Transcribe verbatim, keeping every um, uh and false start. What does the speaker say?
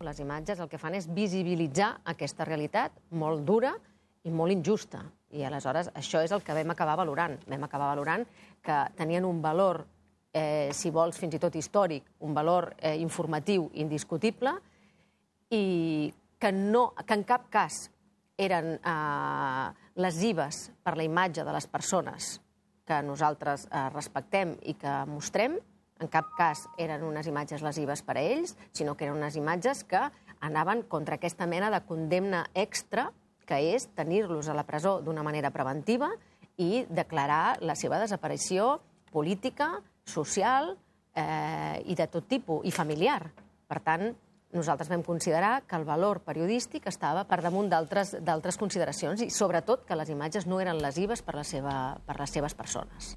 Les imatges el que fan és visibilitzar aquesta realitat molt dura i molt injusta. I aleshores això és el que vam acabar valorant. Vam acabar valorant que tenien un valor, eh, si vols, fins i tot històric, un valor eh, informatiu indiscutible i que, no, que en cap cas eren eh, lesives per la imatge de les persones que nosaltres eh, respectem i que mostrem. En cap cas eren unes imatges lesives per a ells, sinó que eren unes imatges que anaven contra aquesta mena de condemna extra, que és tenir-los a la presó d'una manera preventiva i declarar la seva desaparició política, social eh, i de tot tipus, i familiar. Per tant, nosaltres vam considerar que el valor periodístic estava per damunt d'altres consideracions i, sobretot, que les imatges no eren lesives per, la seva, per les seves persones.